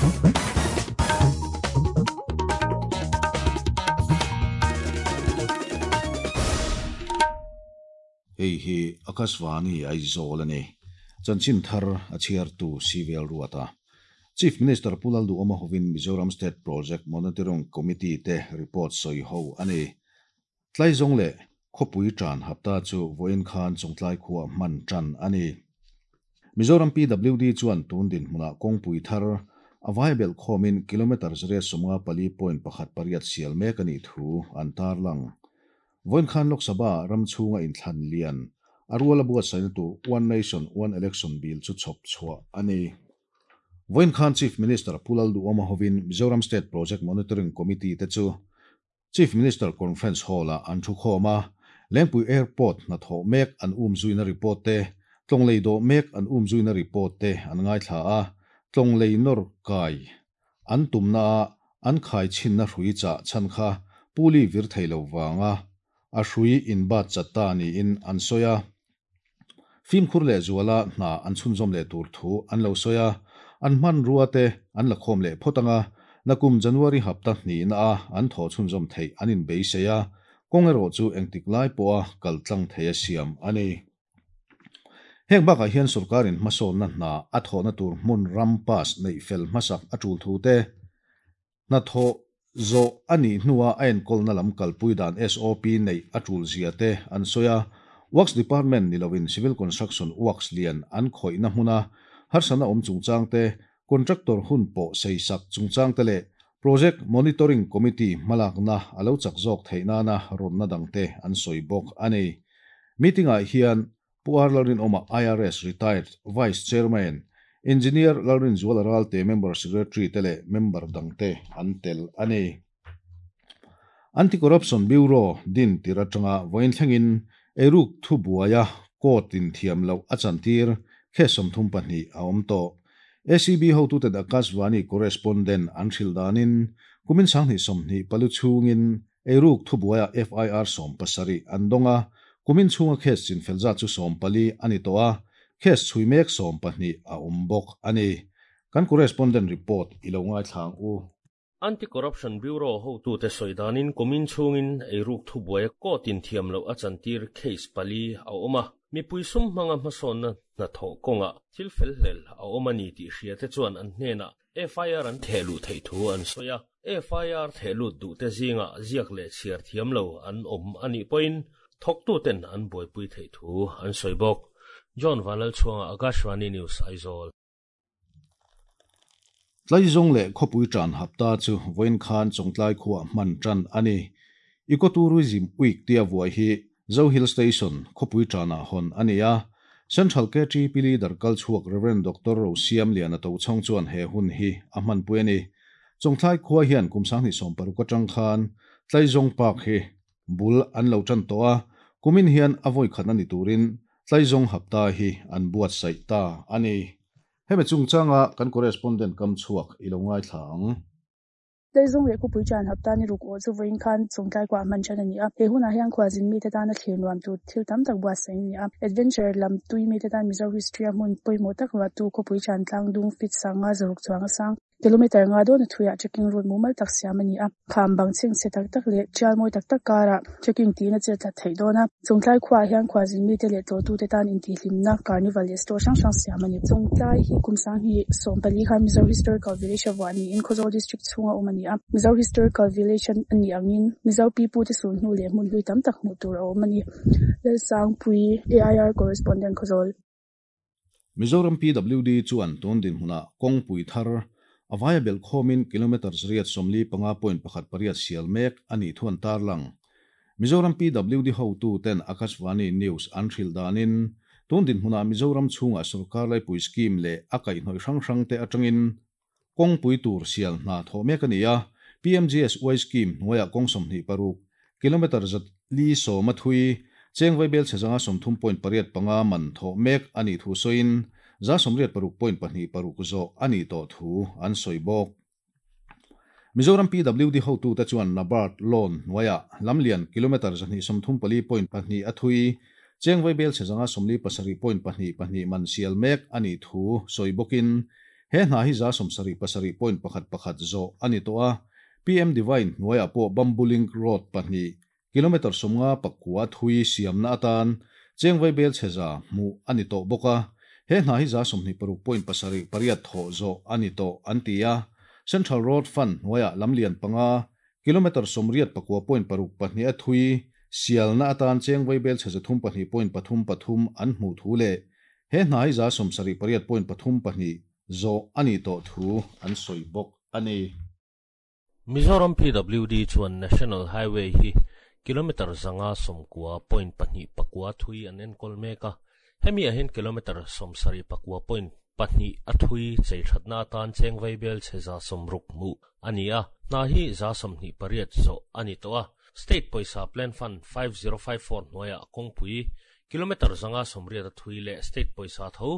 Hei hi Akashvani Aizawl a ni. Chanchin thar a chhiartu Civil Ruata. Chief Minister Pu Lalduhawma hovin Mizoram State Project Monitoring Committee te report sawi ho a ni. Tlaizawng leh khawpui tan hapta chu vawiin khan Chawngtlai khuaa hman tan a ni. Mizoram PWD chuan tun dinhmunah kawngpui thar a vai belh khawmin kilometre zariat 54.18 sial mek a nih thu an tarlang. Vawiin khan Lok Sabha ram chhunga inthlan lian a rual a buatsaihna tur One Nation One Election Bill chu chhawp chhuah a ni. Vawiin khan Chief Minister Pu Lalduhawma hovin Mizoram State Project Monitoring Committee te chu Chief Minister Conference Hall-ah an thu khawm a, Lengpui Airport hnathawh mek an umzuina report te, tlawng lei dawh mek an umzuina report te an ngaithla a, tlawng lei nawr kai an tumnaah an khai chhinna hrui chah chhan kha puli vir thei lo vanga a hrui inbat chat ta niin an sawi a. Fimkhur leh zuala hna an chhunzawm leh tur thu an lo sawi a, an hmanrua te an la khawm leh phawt ang a, nakum January hapta hnihna a an thawh chhunzawm theih an inbeisei a, kawng erawh chu engtik lai pawha kal tlang thei a siam a ni. Heng bakah hian sorkarin hmasawnna hna a thawhna tur hmun ram pass neih fel hmasak a tul thu te, Hnathawh zawh a nih hnua a enkawlna lam kalpui dan SOP neih a tul zia te an sawi a, Works Department ni loin Civil Construction Works lian an khawihna hmuna harsatna awm chungchang te, Contractor hun pawh seisak chungchang te leh Project Monitoring Committee hmalakna a lo chak zawk theih nana rawnna dangte an sawi bawk a ni. Meeting-ah hian Pu R. Lalrinawma IRS Retired Vice Chairman, Engineer Lalrinzuala Ralte Member Secretary te leh member dangte an tel a ni. Anti-Corruption Bureau din tir atanga vawiin thlengin eiruk thubuaia court in thiam loh a chantir case 32 a awm tawh. ACB hotuten Akashvani correspondent an hrilh danin kumin 2024 chhungin Eiruk thubuaia FIR 17 an dawng a, kumin chhunga case chinfel zat chu 14 a ni tawh a, case chhui mek 12 a awm bawk a ni. Kan correspondent report i lo ngaithla ang u. Anti-Corruption Bureau hotute sawi danin kumin chhungin eiruk thubuaia court in thiam loh a chantir case pali a awm a, mipui sum hmanga hmasawnna hnathawh kawngah thil felhlel a awm a ni tih hriate chuan an hnenah FIR an theh luh theih thu an sawi a, FIR theh lut duhte zingah ziak leh chhiar thiam lo an awm a nih pawhin thawktuten an buaipui theih thu an sawi bawk. John Vanlalchhuanga, Akashvani News, Aizawl. Tlaizawng leh khawpui tan hapta chu vawiin khan Chawngtlai khuaa hman tan a ni. Ecotourism Week tia vuai hi Zo Hill Station, khawpui tanah hawn a ni a. Central KTP Leader kal chhuak Rev. Doctor Rosiam Liana Tochhawng chuan he hun hi a hmanpui a ni. Chawngthlai khua hian kum 2016 atang khan Tlaizawng Park hi bul an lo tan tawh a, kumin hian a vawi khatna ni turin Tlaizawng hapta hi an buatsaih ta a ni. Hemi chungchanga kan correspondent kam chhuak i lo ngaithla ang. Tlaizawng leh khawpui tan hapta ni ruk awh chu vawiin khan Chawngtlai kuah hman than a ni a. He hunah hian khualzin mite tana thlir nuam tur thil tam tak buatsaih a ni a. Adventure lam tui mite tan Mizo history a hmun pawimawh tak ruahtu khawpui tan tlang dung feet sanga zaruk chuang a sang kilometre nga dawn a thuiah trekking route mumal tak siam a ni a. Kham bang chhengchhe tak tak leh tial mawi tak tak karah trekking tiin a chet tlat theih dawn a. Chawngtlai khuaah hian khualzin mite leh tlawhtute tan intihhlimna carnival leh store hrang hrang siam a ni. Chawngtlai hi kum 2014 khan Mizo Historical Village a vuah niin Khawzawl District chhunga awm a ni a. Mizo Historical Village a nih angin Mizo pipute sul hnu leh hmun hlui tam tak hmuh tur a awm a ni. Lalsangpui, AIR Correspondent, Khawzawl. Mizoram PWD chuan tun dinhmunah kawngpui thar a vaia belh khawmin kilometre zariat 45.18 sial mek a nih thu an tarlang. Mizoram PWD hotuten Akashvani News an hrilh danin tun dinhmunah Mizoram chhungah sorkar laipui scheme leh a kaihhnawih hrang hrangte atangin kawngpui tur sial hna thawh mek a ni a, PMGSY scheme hnuaiah kawng 26, kilometre 410 a thui, cheng vaibel chhe zanga 30.85 man thawh mek a nih thu sawiin 86.26 zawh a nih tawh thu an sawi bawk. Mizoram PWD hotute chuan NABARD loan hnuaiah lamlian kilometre 234.2 a thui, cheng vaibel chhe zanga 47.22 man sial mek a nih thu sawi bawkin. He hna hi 77 point pakhat pakhat zawh a ni tawh a. PM Divine hnuaiah pawh Bamboo Link Road pahnih, kilometre 59 thui siamna atan cheng vaibel chhe za hmuh a ni tawh bawk a. He hna hi 26 point pasarih pariat thawh zawh a ni tawh an ti a. Central Road Fund hnuaiah lamlian panga, kilometre 89 point paruk pahnih a thui sialna atan cheng vaibel chhe 302 point pathum pathum an hmuh thu leh he hna hi 78 point pathum pahnih zawh a ni tawh thu an sawi bawk a ni. Mizoram PWD chuan National Highway hi kilometre 590 point pahnih pakua thui an enkawl mek a. Hemi ah hian kilometre 79 point pahnih a thui chei thatna atan cheng vaibel chhe 60 hmuh a ni a. Hna hi 28 zawh a ni tawh a. State pawisa Plan Fund 5054 hnuaiah kawngpui kilometre 580 a thui leh State pawisa tho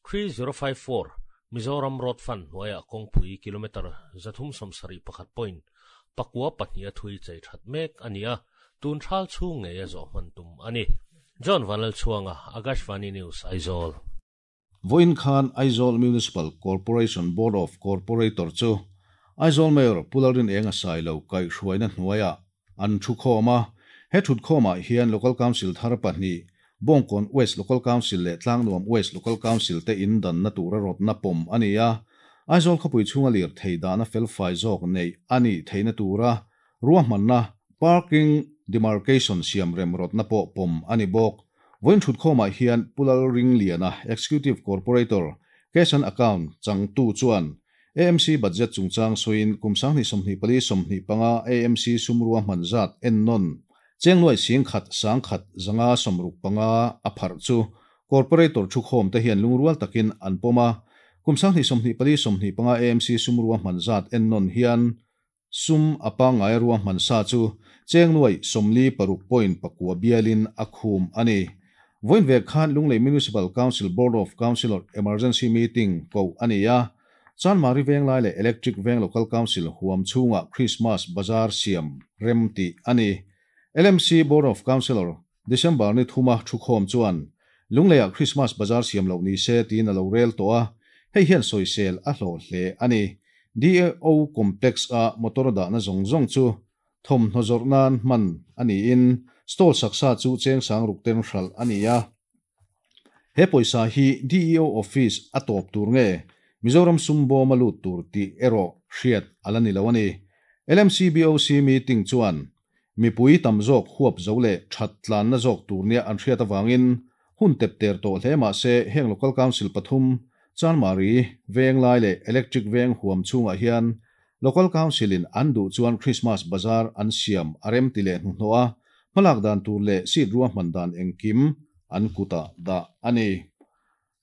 3054 Mizoram Road Fund hnuaiah kawngpui kilometre 371 point pakua pahnih a thui chei that mek a ni a. Tun thal chhung ngei a zawh hman tum a ni. John Vanlal Chhuanga, Akashvani News, Aizawl. Vawiin khan Aizawl Municipal Corporation Board of Corporator chu Aizawl Mayor Pu Lalrin Enga Sailo kaihhruaina hnuaiah an thu khawm a. He thut khawmah hian Local Council thar pahnih, Bawngkawn West Local Council leh Tlangnuam West Local Council te in danna tura rawtna pawm a ni a. Aizawl khawpui chhunga lir thei dahna felfai zawk neih a nih theihna tura ruahmanna parking demarcation siam rem rawtna pawh pawm a ni bawk. Vawiin thut khawmah hian Pu Lalringliana, Executive Corporator, Cash and Account changtu chuan AMC budget chungchang sawiin kum 2024 25 AMC sum ruahman zat ennawn cheng nuai 10,165 a pharh chu Corporator thu khawm te hian lungrual takin an pawm a. Kum 2024 25 AMC sum ruahman zat ennawn hian sum a pangngai ruahman sa chu cheng nuai 46 point pakua bialin a khum a ni. Vawiin vek khan Lunglei Municipal Council Board of Councillor Emergency Meeting ko a ni a. Chanmari Venglai leh Electric Veng Local Council huam chhungah Christmas Bazaar siam rem tih a ni. LMC Board of Councillor December ni thuma thu khawm chuan Lungleiah Christmas Bazaar siam loh ni se tiin a lo rel tawh a. Hei hian sawisel a hlawh hle a ni. DAO Complex a motor dahna zawng zawng chu thawmhnaw zawrh nan hman a niin stall saksa chu cheng sang ruk ten hralh a ni a. He pawisa hi DEO Office a tawp tur nge Mizoram sum bawm a lut tur tih erawh hriat a la ni lo a ni. LMC BOC meeting chuan mipui tam zawk huap zo leh that tlanna zawk tur nia an hriat awangin hun tep ter tawh hle mah se heng Local Council pathum Chanmari Venglai leh Electric Veng huam chhungah hian Local Council in an duh chuan Christmas Bazaar an siam a rem ti leh hnuhnawh a. Hmalak dan tur leh seat ruahman dan engkim an kuta dah a ni.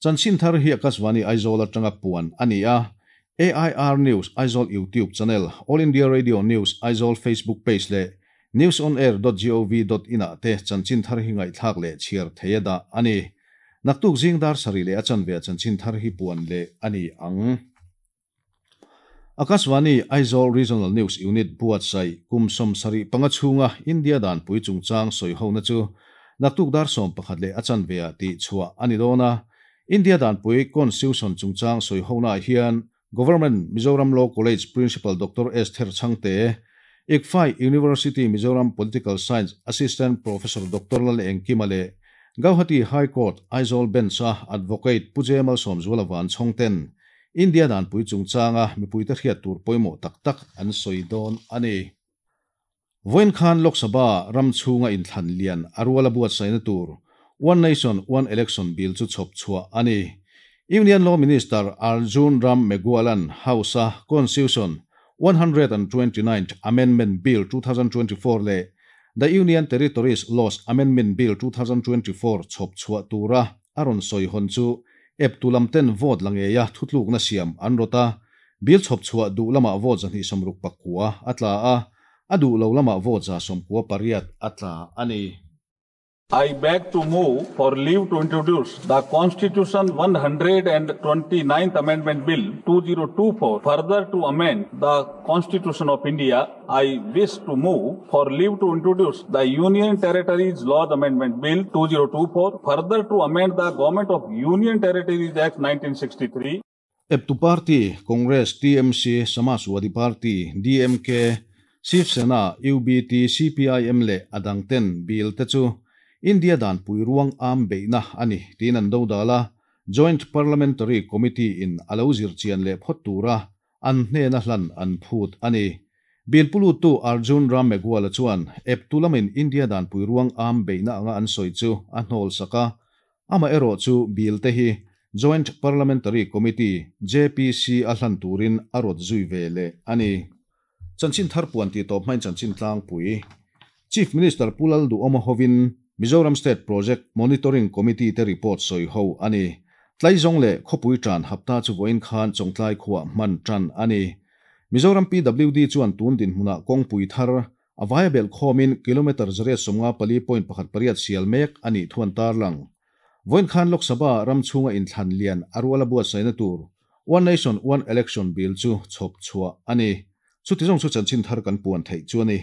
Chanchin thar hi Akashvani Aizawl atanga puan a ni a. AIR News Aizawl YouTube channel, All India Radio News Aizawl Facebook page leh newsonair.gov.in ah te chanchin thar hi ngaihthlak leh chhiar thei a dah a ni. Naktuk zing dar sarih leh a chanve chanchin thar hi puan leh a ni ang. Akashvani Aizawl Regional News Unit buatsaih kum 75 chhunga India dan pui chungchang sawi hona chu naktuk dar 11 leh a chanve ah tih chhuah a ni dawn a. India dan pui Constitution chungchang sawi hona hian Government Mizoram Law College Principal Dr. Esther Chhangte, ICFAI University Mizoram Political Science Assistant Professor Dr. Lal Engkima leh Gauhati High Court Aizawl Bench a Advocate Pu Jemal Sawmzuala Vanchhawng ten India dan pui chungchanga mipui te hriat tur pawimawh tak tak an sawi dawn a ni. Vawiin khan Lok Sabha ram chhunga inthlan lian a ruala buatsaihna tur One Nation One Election Bill chu chhawp chhuah a ni. Union Law Minister Arjun Ram Meghwal-a'n House a Constitution 129th Amendment Bill 2024 leh The Union Territories Laws Amendment Bill 2024 chhawp chhuah tura a rawn sawi hawn chu eptu lam ten vote la ngeia thutlukna siam an rawt a. Bill chhawp chhuah duh lamah vote 269 a tla a, a duh lo lamah vote 198 a tla a ni. I beg to move for leave to introduce the Constitution 129th Amendment Bill 2024, further to amend the Constitution of India. I wish to move for leave to introduce the Union Territories Laws Amendment Bill 2024, further to amend the Government of Union Territories Act 1963. Eptu party Congress, TMC, Samajwadi Party, DMK, Shiv Sena, UBT, CPIM leh a dangten bill te chu India danpui ruang am beihna a ni tiin an dodal a, Joint Parliamentary Committee in a lo zirchian leh phawt tura an hnena hlan an phut a ni. Bill puluttu Arjun Ram Meghwal-a chuan eptu lamin India danpui ruang am beihna anga an sawi chu a hnawlsak a, amaherawhchu bill te hi Joint Parliamentary Committee, JPC, a hlan turin a rawt zui ve leh a ni. Chanchin thar puan tih tawp hmain chanchin tlangpui Chief Minister Pu Lalduhawma hovin Mizoram State Project Monitoring Committee te report sawi ho a ni. Tlaizawng leh khawpui tan hapta chu vawiin khan Chawngtlai khuah hman tan a ni. Mizoram PWD chuan tun dinhmunah kawngpui thar a vaia belh khawmin kilometre 154.18 sial mek a nih thu an tarlang. Vawiin khan Lok Sabha ram chhunga inthlan lian a ruala buatsaihna tur One Nation One Election Bill chu chhawp chhuah a ni. Chuti zawng chu chanchin thar kan puan theih chu a ni.